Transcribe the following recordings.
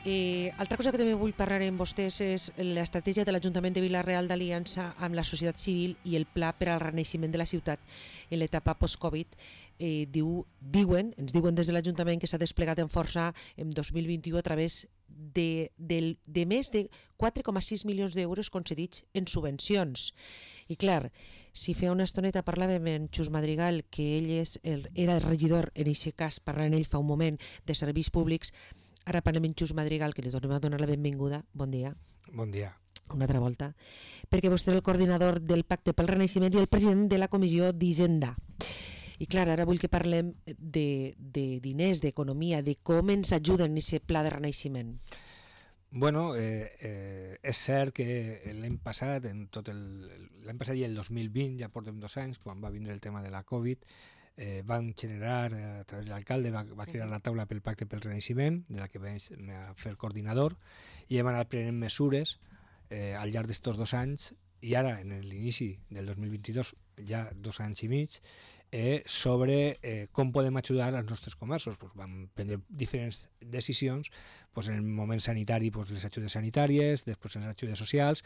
Altra cosa que també vull parlar amb vostès és l'estratègia de l'Ajuntament de Vila-real d'aliança amb la societat civil i el pla per al renaixement de la ciutat en l'etapa post-Covid. Ens diuen des de l'Ajuntament que s'ha desplegat en força en 2021 a través de més de 4,6 milions d'euros concedits en subvencions. I clar, si fa una estoneta parlàvem amb Xus Madrigal, que ell era regidor, en aquest cas parlant ell fa un moment, de serveis públics. Ara parlem amb Xus Madrigal, que li tornem a donar la benvinguda. Bon dia. Bon dia. Una altra volta. Perquè vostè és el coordinador del Pacte pel Renaixement i el president de la Comissió d'Hisenda. I clar, ara vull que parlem de diners, d'economia, de com ens ajuden en aquest pla de renaixement. Bueno, és cert que l'any passat, l'any passat i el 2020, ja portem 2 anys, quan va vindre el tema de la Covid, van generar, a través de l'alcalde, va crear la taula pel Pacte pel Renaixement, de la que vaig fer coordinador, i hem anat prenent mesures al llarg d'estos 2 anys, i ara, en l'inici del 2022, ja 2 anys i mig, sobre com podem ajudar als nostres comerços. Vam prendre diferents decisions, en el moment sanitari les ajudes sanitàries, després les ajudes socials,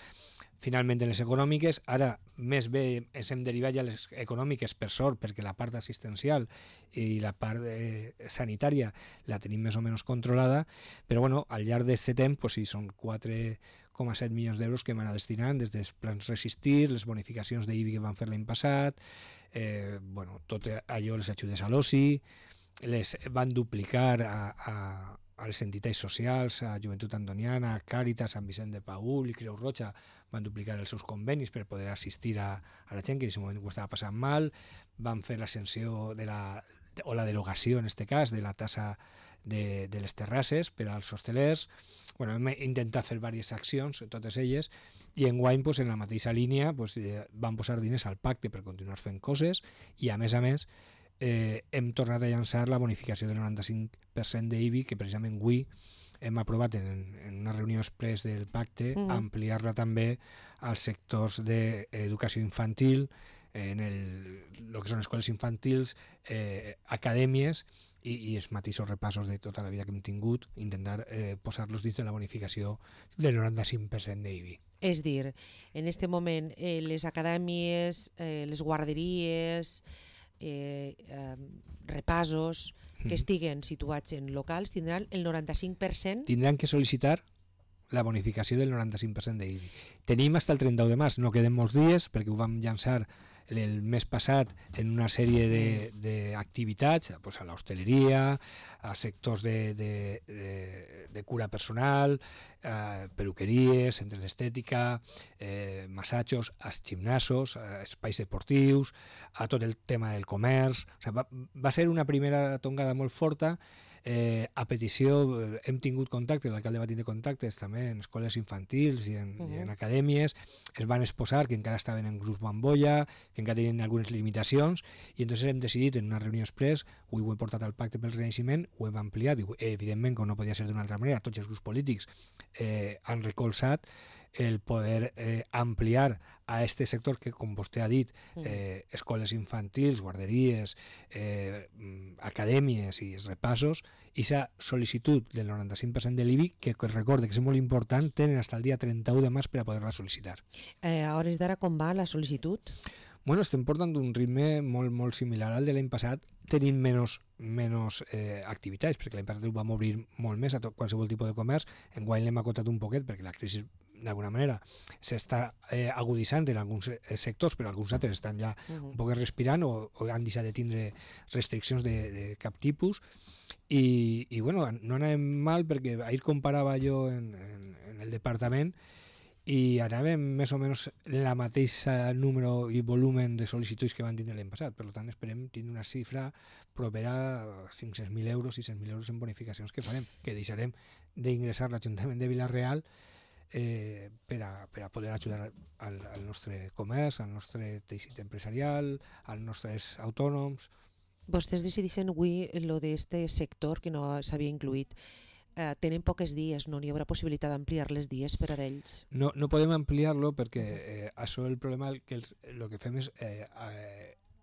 finalment les econòmiques. Ara més bé ens hem derivat ja les econòmiques, per sort, perquè la part assistencial i la part sanitària la tenim més o menys controlada, però bueno, al llarg d'aquest temps sí, són 4,7 milions d'euros que hem anat destinant des dels plans Resistir, les bonificacions d'IBI que van fer l'any passat, tot allò, les ajudes a l'oci, les van duplicar a les entitats socials, a Joventut Antoniana, a Càritas, Sant Vicent de Paül i Creu Roja, van duplicar els seus convenis per poder assistir a la gent que en aquest moment ho estava passant mal, van fer l'ascensió o la derogació, en aquest cas, de la tassa de les terrasses per als hostelers. Hem intentat fer diverses accions, totes elles, i enguany, en la mateixa línia, van posar diners al pacte per continuar fent coses, i a més, hem tornat a llançar la bonificació del 95% d'IBI, que precisament avui hem aprovat en una reunió express del pacte, ampliar-la també als sectors d'educació infantil, en el que són escoles infantils, acadèmies, i els mateixos repassos de tota la vida que hem tingut, intentar posar-los dins de la bonificació del 95% d'IBI. És dir, en aquest moment les acadèmies, les guarderies, repassos que estiguen situats en locals tindran el 95%. Tindran que sol·licitar la bonificació del 95% d'IBI. Tenim fins el 31 de març, no queden molts dies, perquè ho vam llançar el mes passat en una sèrie d'activitats, a l'hostaleria, a sectors de cura personal, peluqueries, centres d'estètica, massatges, als gimnasos, espais esportius, a tot el tema del comerç. Va ser una primera tongada molt forta. A petició hem tingut contacte, l'alcalde va tindre contactes també en escoles infantils i en acadèmies, es van exposar que encara estaven en grups bombolla, que encara tenien algunes limitacions, i entonces hem decidit en una reunió express, ho he portat al Pacte pel Renaixement, ho hem ampliat, i evidentment, com no podia ser d'una altra manera, tots els grups polítics han recolzat el poder ampliar a aquest sector que, com vostè ha dit, escoles infantils, guarderies, acadèmies i repassos, i aquesta sol·licitud del 95% de l'IBI, que recorde que és molt important, tenen fins al dia 31 de març per a poder-la sol·licitar. A hores d'ara com va la sol·licitud? Estem portant d'un ritme molt similar al de l'any passat, tenint menys activitats, perquè l'any passat ho vam obrir molt més a qualsevol tipus de comerç. Enguany l'hem acotat un poquet perquè la crisi d'alguna manera s'està aguditzant en alguns sectors, però alguns altres estan ja un poc respirant o han deixat de tindre restriccions de cap tipus. I no anàvem mal, perquè ahir comparava jo en el departament i anàvem més o menys la mateixa número i volumen de sol·licituds que van tindre l'any passat. Per tant, esperem tindre una xifra propera a 500.000 euros, 600.000 euros en bonificacions que farem, que deixarem d'ingressar l'Ajuntament de Vila-real per a poder ajudar al nostre comerç, al nostre teixit empresarial, als nostres autònoms. Vostès decideixen avui lo d'este sector que no s'havia incluït. Tenen poques dies, no hi haurà possibilitat d'ampliar les dies per a ells? No podem ampliar-lo perquè això el problema que el que fem és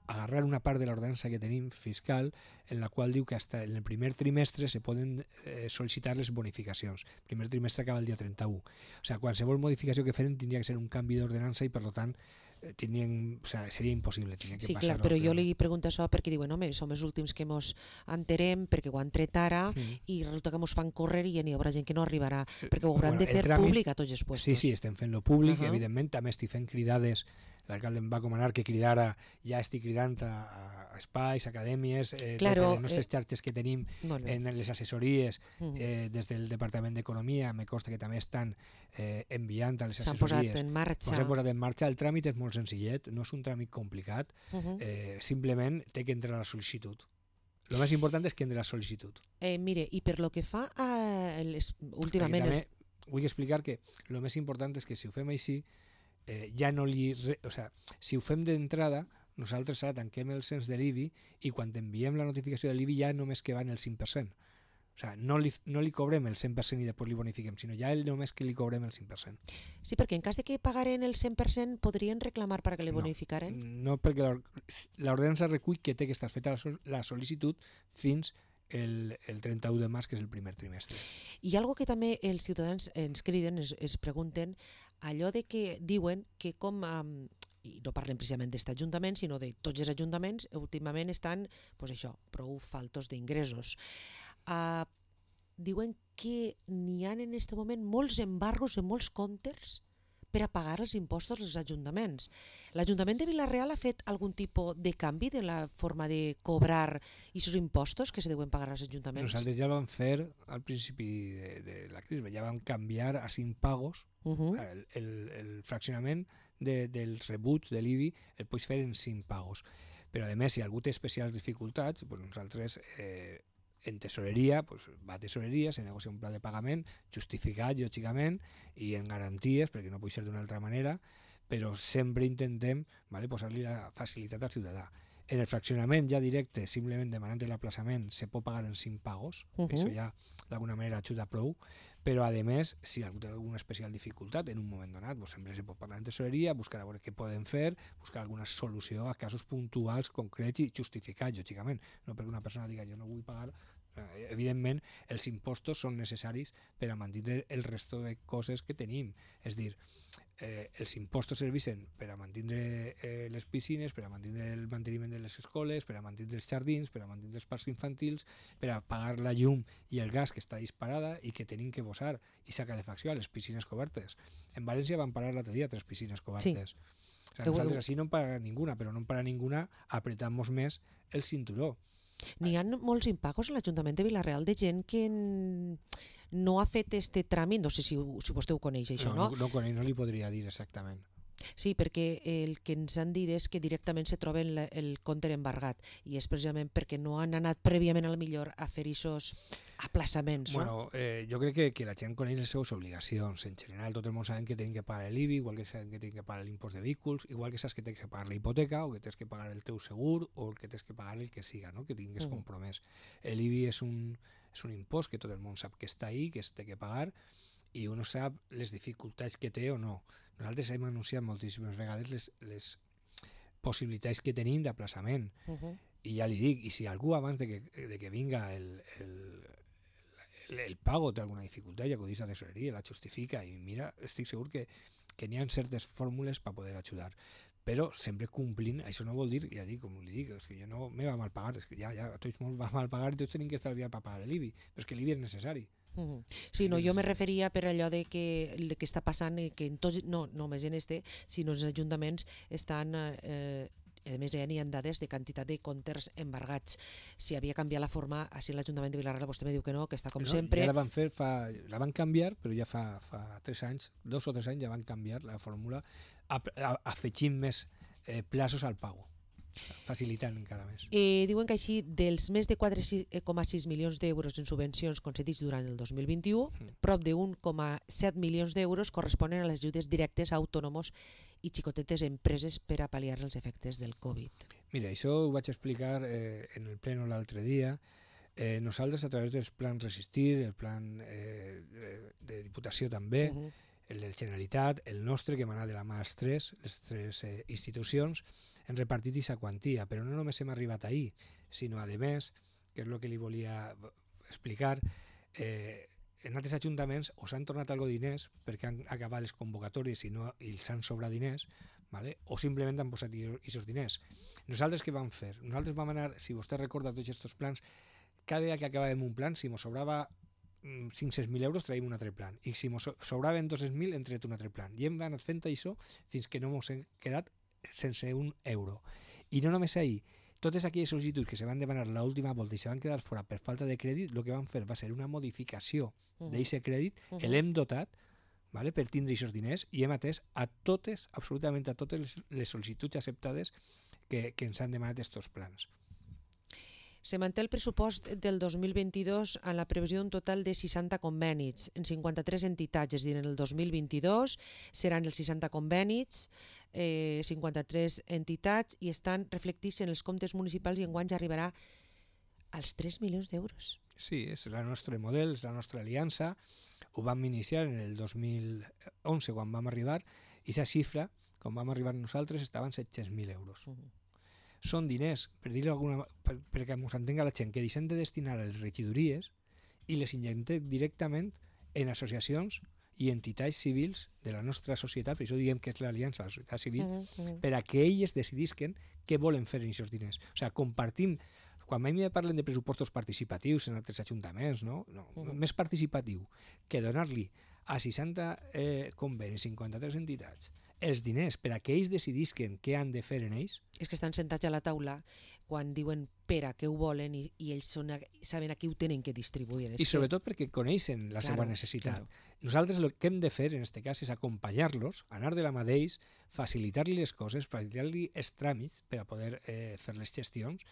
agarrar una part de l'ordenança que tenim fiscal en la qual diu que hasta en el primer trimestre se poden sol·licitar les bonificacions. El primer trimestre acaba el dia 31. O sigui, qualsevol modificació que feren tindria que ser un canvi d'ordenança i per tant seria impossible. Sí, clar, però jo li pregunto això perquè diuen, home, som els últims que mos enterem perquè ho han tret ara i resulta que mos fan córrer i n'hi haurà gent que no arribarà, perquè ho hauran de fer públic a tots els puestos. Sí, estem fent-lo públic, evidentment, també estic fent cridades, l'alcalde em va comanar que cridara, ja estic cridant a espais, acadèmies, des de les nostres xarxes que tenim en les assessories, des del Departament d'Economia, me consta que també estan enviant a les assessories. S'han posat en marxa. El tràmit és molt senzillet, no és un tràmit complicat, simplement té que entrar la sol·licitud. El més important és que entri la sol·licitud. Mire, i per lo que fa a últimament... Vull explicar que el més important és que si ho fem així, ja no si ho fem d'entrada, nosaltres ara tanquem el cens de l'IBI i quan enviem la notificació de l'IBI ja només que va en el 5%. O sigui, no li cobrem el 100% i després li bonifiquem, sinó ja només que li cobrem el 5%. Sí, perquè en cas de que pagaren el 100% podrien reclamar perquè li bonificaren? No, perquè l'ordenança recull que té que estar feta la sol·licitud fins el 31 de març, que és el primer trimestre. I algo que també els ciutadans ens criden, es pregunten, allò de que diuen que com... i no parlem precisament d'aquest ajuntament, sinó de tots els ajuntaments, últimament estan, pues això, prou faltos d'ingressos. Diuen que n'hi ha en aquest moment molts embargos en molts comptes per a pagar els impostos als ajuntaments. L'Ajuntament de Vila-real ha fet algun tipus de canvi de la forma de cobrar aquests impostos que se deuen pagar als ajuntaments? Nosaltres ja vam fer al principi de la crisi, ja vam canviar a 5 pagos el fraccionament dels rebuts de l'IBI, el pots fer en 5 pagos. Però a més, si algú té especials dificultats, nosaltres en tesoreria, va a tesoreria, se negocia un pla de pagament justificat, lògicament, i en garanties, perquè no pot ser d'una altra manera, però sempre intentem posar-li la facilitat al ciutadà. En el fraccionament ja directe, simplement demanant l'aplaçament, se pot pagar en 5 pagos, això ja d'alguna manera ajuda prou, però a més, si algú té alguna especial dificultat en un moment donat, sempre se pot parlar en tesoreria, buscar a veure què poden fer, buscar alguna solució a casos puntuals, concrets i justificats, lògicament, no perquè una persona diga jo no vull pagar. Evidentment, els impostos són necessaris per a mantenir el resto de coses que tenim, és dir, els impostos serveixen per a mantenir les piscines, per a mantenir el manteniment de les escoles, per a mantenir els jardins, per a mantenir els parcs infantils, per a pagar la llum i el gas que està disparada i que tenim que posar i sacar calefacció a les piscines cobertes. En València van parar l'altre dia 3 piscines cobertes. Sí. O sigui, nosaltres així no en paga ninguna, però no en paga ninguna apretamos més el cinturó. N'hi ha molts impagos a l'Ajuntament de Vila-real de gent que no ha fet este tràmit, no sé si vostè ho coneix això, no? No coneix, no li podria dir exactament. Sí, perquè el que ens han dit és que directament se troben el compte embargat i és precisament perquè no han anat prèviament a la millor a fer aquests aplaçaments. Bueno, jo crec que la gent coneix les seves obligacions. En general, tot el món sabem que tenen que pagar l'IBI, igual que saben que tenen que pagar l'impost de vehicles, igual que saps que tens que pagar la hipoteca o que tens que pagar el teu segur o que tens que pagar el que siga, no? Que tingues compromès. L'IBI és un impost que tot el món sap que està ahí, que es té que pagar, i uno sap les dificultats que té o no. Nosaltres hem anunciat moltíssimes vegades les possibilitats que tenim d'aplaçament. I ja li dic, i si algú abans de que vinga el pago té alguna dificultat, ja acudís a tesoreria, la justifica i mira, estic segur que n'hi ha certes fórmules per poder ajudar. Però sempre complint, això no vol dir, ja dic, com li dic, és que jo no me va mal pagar, és que ja a tots molt va mal pagar i tots tenim que estalviar per pagar l'IBI, però és que l'IBI és necessari. Sí, no, jo me referia per allò de que el que està passant, que en tots, no només en sinó els ajuntaments estan, a més ja n'hi ha dades de quantitat de comptes embargats. Si havia canviat la forma, així l'Ajuntament de Vila-real vostè me diu que no, que està com sempre. Ja la van canviar, però ja fa 3 anys, 2 o 3 anys ja van canviar la fórmula afegint més plaços al pago, facilitant encara més. Diuen que així dels més de 4,6 milions d'euros en subvencions concedits durant el 2021, prop de 1,7 milions d'euros corresponen a les ajudes directes a autònoms i xicotetes empreses per a pal·liar els efectes del Covid. Mira, això ho vaig explicar en el pleno l'altre dia. Nosaltres, a través dels plans Resistir, el plan de Diputació també, el de la Generalitat, el nostre, que emana de la mà les tres institucions, hem repartit aquesta quantia, però no només hem arribat ahir, sinó, a més, que és el que li volia explicar, en altres ajuntaments o s'han tornat algo diners perquè han acabat les convocatòries i els han sobrat diners, ¿vale? O simplement han posat aquests diners. Nosaltres què vam fer? Nosaltres vam anar, si vostè recorda tots aquests plans, cada dia que acabàvem un plan, si ens sobrava 500.000 euros, traiem un altre plan. I si ens sobraven 200.000, hem tret un altre plan. I hem anat fent això fins que no ens hem quedat sense un euro. I no només ahir, totes aquelles sol·licituds que se van demanar l'última volta i se van quedar fora per falta de crèdit, el que van fer va ser una modificació d'aquest crèdit, l'hem dotat, ¿vale? Per tindre aquests diners, i hem atès a totes, absolutament a totes les sol·licituds acceptades que ens han demanat aquests plans. Se manté el pressupost del 2022 en la previsió d'un total de 60 convenis en 53 entitats, és a dir, en el 2022 seran els 60 convenis, 53 entitats, i estan reflectits en els comptes municipals, i enguany ja arribarà als 3 milions d'euros. Sí, és el nostre model, és la nostra aliança. Ho vam iniciar en el 2011 quan vam arribar, i aquesta xifra, quan vam arribar nosaltres, estaven 700.000 euros. Són diners, per dir-ho perquè ens entenga la gent, que deixem de destinar a les regidories i les injectem directament en associacions i entitats civils de la nostra societat, per això diguem que és l'aliança de la societat civil, per a que elles decidisquen què volen fer amb aquests diners. O sigui, compartim. Quan a mi me parlen de pressupostos participatius en altres ajuntaments, no? Més participatiu que donar-li a 60 convenis, 53 entitats, els diners per a que ells decidisquen què han de fer en ells. És que estan sentats a la taula quan diuen per a què ho volen, i ells saben a qui ho tenen que distribuir. I sobretot perquè coneixen la seva necessitat. Nosaltres el que hem de fer en aquest cas és acompanyar-los, anar de la mà d'ells, facilitar-li les coses, facilitar-li els tràmits per a poder fer les gestions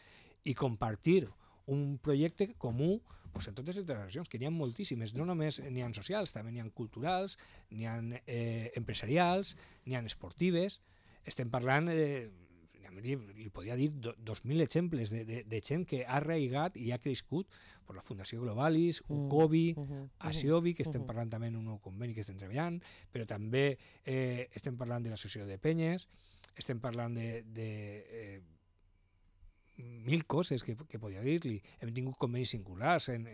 i compartir un projecte comú en totes les integracions, que n'hi ha moltíssimes, no només n'hi ha socials, també n'hi ha culturals, n'hi ha empresarials, n'hi ha esportives. Estem parlant, li podria dir 2.000 exemples de gent que ha arraigat i ha crescut per la Fundació Globalis, UCOBI, ASIOBI, que estem parlant també en un nou conveni que estem treballant, però també estem parlant de l'Associació de Penyes, estem parlant de mil coses que podria dir-li. Hem tingut convenis singulars en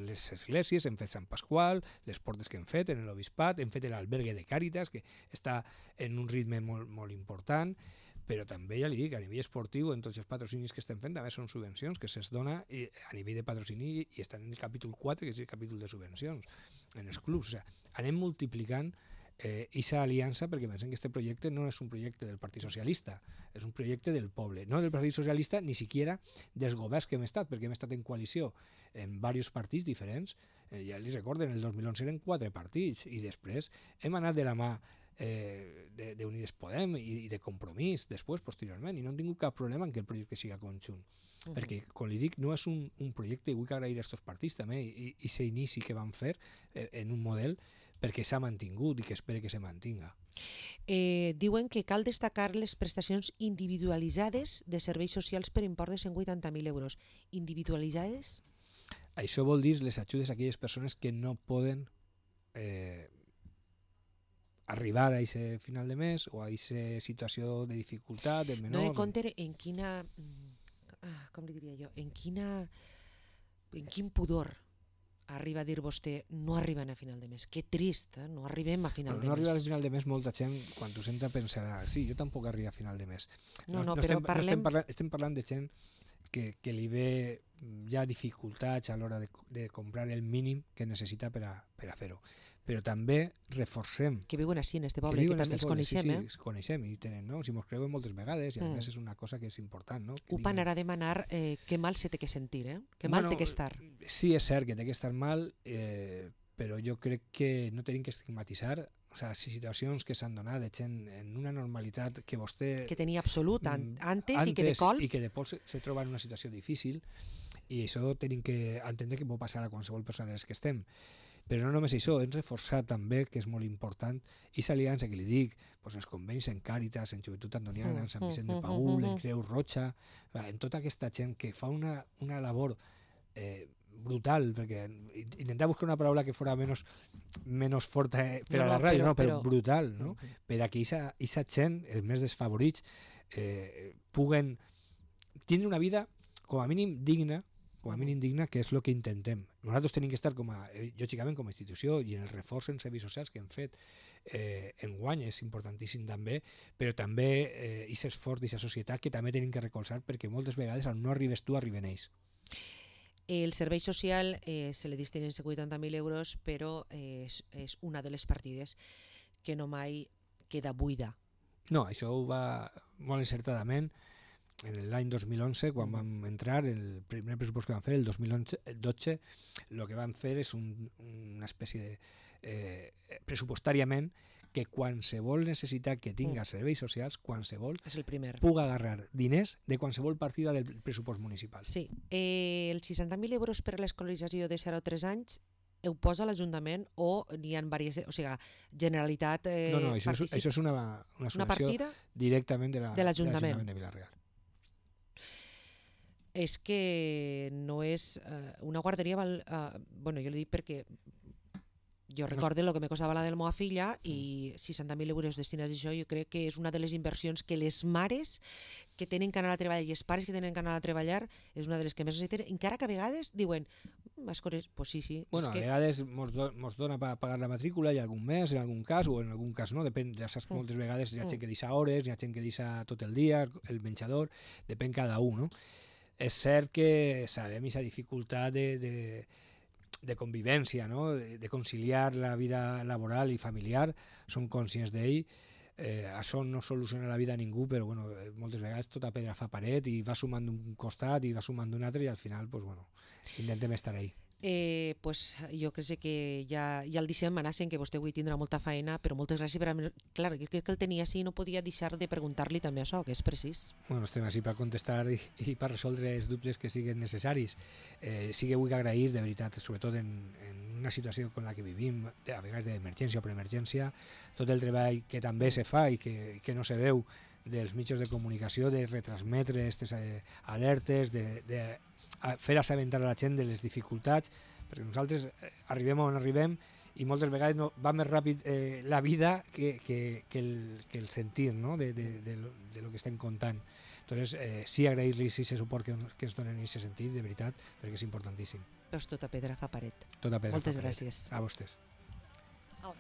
les esglésies, hem fet Sant Pasqual, les portes que hem fet en l'Obispat, hem fet l'albergue de Càritas, que està en un ritme molt, molt important, però també, ja li dic, a nivell esportiu, en tots els patrocinis que estem fent, també són subvencions que se'ls dona a nivell de patrocini, i estan en el capítol 4, que és el capítol de subvencions, en els clubs. O sigui, anem multiplicant aquesta aliança, perquè pensem que aquest projecte no és un projecte del Partit Socialista, és un projecte del poble, no del Partit Socialista, ni siquiera dels governs que hem estat, perquè hem estat en coalició en diversos partits diferents. Ja li recorden, el 2011 eren 4 partits, i després hem anat de la mà d'Unides Podem i de Compromís després, posteriorment, i no hem tingut cap problema en que el projecte siga conjunt. Perquè, com li dic, no és un projecte, i vull que agrair a aquests partits també, i aquest inici que van fer en un model, perquè s'ha mantingut i que espere que se mantinga. Diuen que cal destacar les prestacions individualitzades de serveis socials per import de 180.000 euros. Individualitzades? Això vol dir les ajudes a aquelles persones que no poden arribar a aquest final de mes o a aquesta situació de dificultat, de menor... No he compte en quina... com li diria jo? En quin pudor arriba a dir vostè no arriben a final de mes. Que trist, no arribem a final de mes. No arribar a final de mes, molta gent, quan ho senta, pensarà sí, jo tampoc arribo a final de mes. Però estem parlant de gent que li ve ja dificultats a l'hora de comprar el mínim que necessita per a fer-ho. Però també reforcem... Que viuen així, en este poble, que també els coneixem, sí, els coneixem i tenen, no? Si mos creuen moltes vegades, i a més és una cosa que és important, no? Ho van a demanar que mal se té que sentir, que mal té que estar. Sí, és cert que té que estar mal, però jo crec que no tenim que estigmatitzar, o sigui, situacions que s'han donat de gent en una normalitat que vostè... Que tenia absolut antes i que de colp... I que de colp se troba en una situació difícil, i això tenim que entendre que pot passar a qualsevol persona de les que estem. Però no només això, hem reforçat també, que és molt important, i l'aliança que li dic, doncs els convenis en Càritas, en Joventut Antoniana, en Sant Vicent de Paül, en Creu Roja, en tota aquesta gent que fa una labor brutal, perquè intentar buscar una paraula que fora menys forta per a la ràdio, però brutal, no? Per a que aquesta gent, els més desfavorits, puguen tindre una vida com a mínim digna, que és el que intentem. Nosaltres tenim que estar, lògicament, com a institució i en el reforç en serveis socials que hem fet enguany és importantíssim també, però també aquest esforç d'aquesta societat que també tenim que recolzar, perquè moltes vegades on no arribes tu, arriben ells. El servei social se li destinen 80.000 euros, però és una de les partides que no mai queda buida. No, això ho va molt encertadament. En l'any 2011, quan vam entrar, el primer pressupost que vam fer, el 2012, el que vam fer és una espècie de pressupostàriament que qualsevol necessitat que tinga serveis socials, qualsevol, puga agarrar diners de qualsevol partida del pressupost municipal. Sí, els 60.000 euros per a l'escolarització de 0 a 3 anys ho posa l'Ajuntament o n'hi ha diverses, o sigui, Generalitat No, això és una subvenció directament de l'Ajuntament de Vila-real. És que no és una guarderia, bueno, jo li dic perquè jo recordo el que me costava la de la meva filla i 60.000 euros destinats a això jo crec que és una de les inversions que les mares que tenen que anar a treballar i els pares que tenen que anar a treballar és una de les que més necessiten, encara que a vegades diuen pues sí. Bueno, a vegades mos dona per pagar la matrícula i algun mes, en algun cas, o en algun cas no, depèn, ja saps que moltes vegades hi ha gent que deixa hores, hi ha gent que deixa tot el dia, el menjador, depèn cada un, no? És cert que sabem aquesta dificultat de convivència, no? De conciliar la vida laboral i familiar, som conscients d'ell. Això no soluciona la vida a ningú, però bueno, moltes vegades tota pedra fa paret i va sumant d'un costat i va sumant d'un altre i al final intentem estar ahí. Pues jo crec que ja el deixem, Manassen, que vostè avui tindrà molta feina, però moltes gràcies per clar, jo crec que el tenia així i no podia deixar de preguntar-li també això, que és precís. Bueno, estem així per contestar i per resoldre els dubtes que siguin necessaris. Sí que vull agrair, de veritat, sobretot en una situació com la que vivim, a vegades d'emergència o preemergència, tot el treball que també se fa i que no se veu dels mitjans de comunicació, de retransmetre aquestes alertes, de fer assabentar a la gent de les dificultats, perquè nosaltres arribem on arribem i moltes vegades va més ràpid la vida que el sentir, no? de lo que estem contant. Entonces, sí agrair-los aquest suport que ens donen en aquest sentit, de veritat, perquè és importantíssim. Doncs tota pedra fa paret. Moltes gràcies. A vostès. Oh.